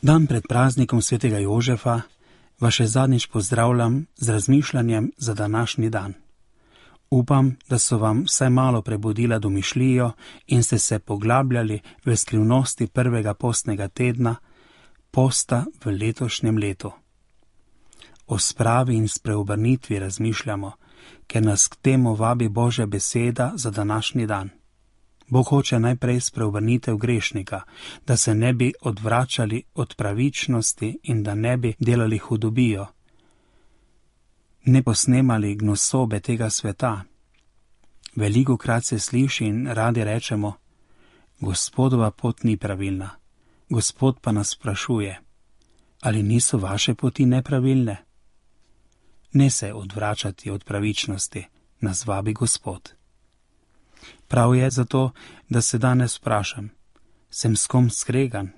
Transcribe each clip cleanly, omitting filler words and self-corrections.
Dan pred praznikom svetega Jožefa vas še zadnjič pozdravljam z razmišljanjem za današnji dan. Upam, da so vam vsaj malo prebudila domišljijo in ste se poglabljali v skrivnosti prvega postnega tedna, posta v letošnjem letu. O spravi in spreobrnitvi razmišljamo, ker nas k temu vabi Božja beseda za današnji dan. Bog hoče najprej spreobrnitev grešnika, da se ne bi odvračali od pravičnosti in da ne bi delali hudobijo, ne posnemali gnusobe tega sveta. Velikokrat se sliši in radi rečemo: Gospodova pot ni pravilna. Gospod pa nas sprašuje: ali niso vaše poti nepravilne? Ne se odvračati od pravičnosti, nas vabi Gospod. Prav je zato, da se danes vprašam: sem s kom skregan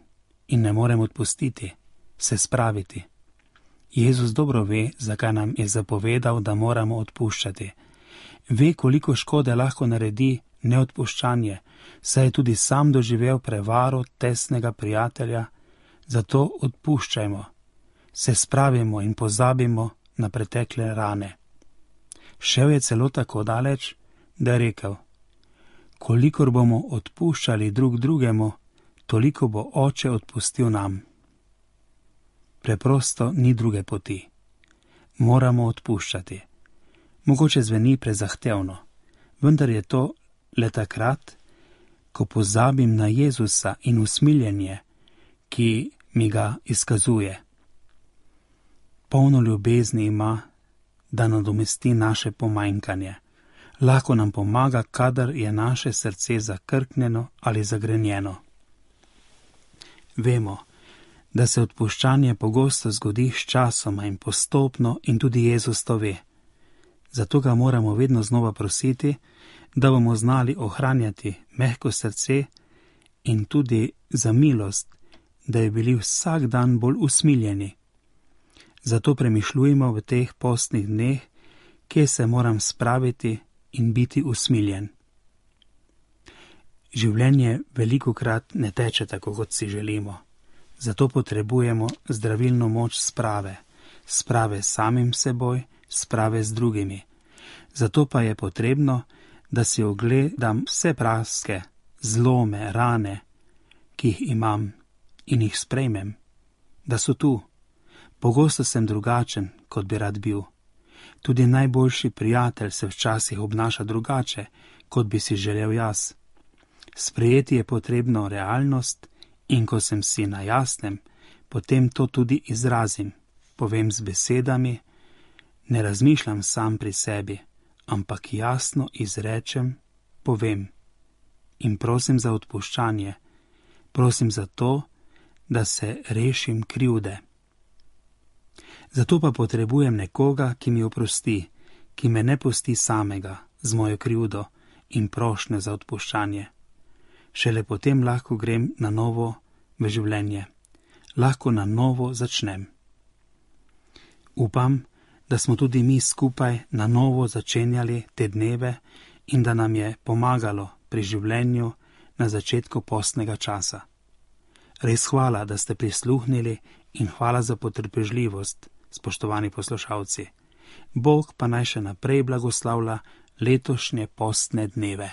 in ne morem odpustiti, se spraviti? Jezus dobro ve, zakaj nam je zapovedal, da moramo odpuščati. Ve, koliko škode lahko naredi neodpuščanje, saj je tudi sam doživel prevaro tesnega prijatelja, zato odpuščajmo, se spravimo in pozabimo na pretekle rane. Šel je celo tako daleč, da je rekel: kolikor bomo odpuščali drug drugemu, toliko bo Oče odpustil nam. Preprosto ni druge poti. Moramo odpuščati. Mogoče zveni prezahtevno, vendar je to le takrat, ko pozabim na Jezusa in usmiljenje, ki mi ga izkazuje. Polno ljubezni ima, da nadomesti naše pomanjkanje. Lahko nam pomaga, kadar je naše srce zakrknjeno ali zagrenjeno. Vemo, da se odpuščanje pogosto zgodi s časoma in postopno in tudi Jezus to ve. Zato ga moramo vedno znova prositi, da bomo znali ohranjati mehko srce in tudi za milost, da bi bili vsak dan bolj usmiljeni. Zato premišljujmo v teh postnih dneh, kje se moram spraviti in biti usmiljen. Življenje velikokrat ne teče tako, kot si želimo. Zato potrebujemo zdravilno moč sprave s samim seboj, sprave z drugimi. Zato pa je potrebno, da si ogledam vse praske, zlome, rane, ki jih imam in jih sprejmem, da so tu. Pogosto sem drugačen, kot bi rad bil. Tudi najboljši prijatelj se včasih obnaša drugače, kot bi si želel jaz. Sprejeti je potrebno realnost in ko sem si na jasnem, potem to tudi izrazim, povem z besedami, ne razmišljam sam pri sebi, ampak jasno izrečem, povem in prosim za odpuščanje, prosim za to, da se rešim krivde. Zato pa potrebujem nekoga, ki mi oprosti, ki me ne pusti samega z mojo krivdo in prošnjo za odpuščanje. Šele potem lahko grem na novo v življenje, lahko na novo začnem. Upam, da smo tudi mi skupaj na novo začenjali te dneve in da nam je pomagalo pri življenju na začetku postnega časa. Res hvala, da ste prisluhnili in hvala za potrpežljivost, spoštovani poslušalci. Bog pa naj še naprej blagoslavlja letošnje postne dneve.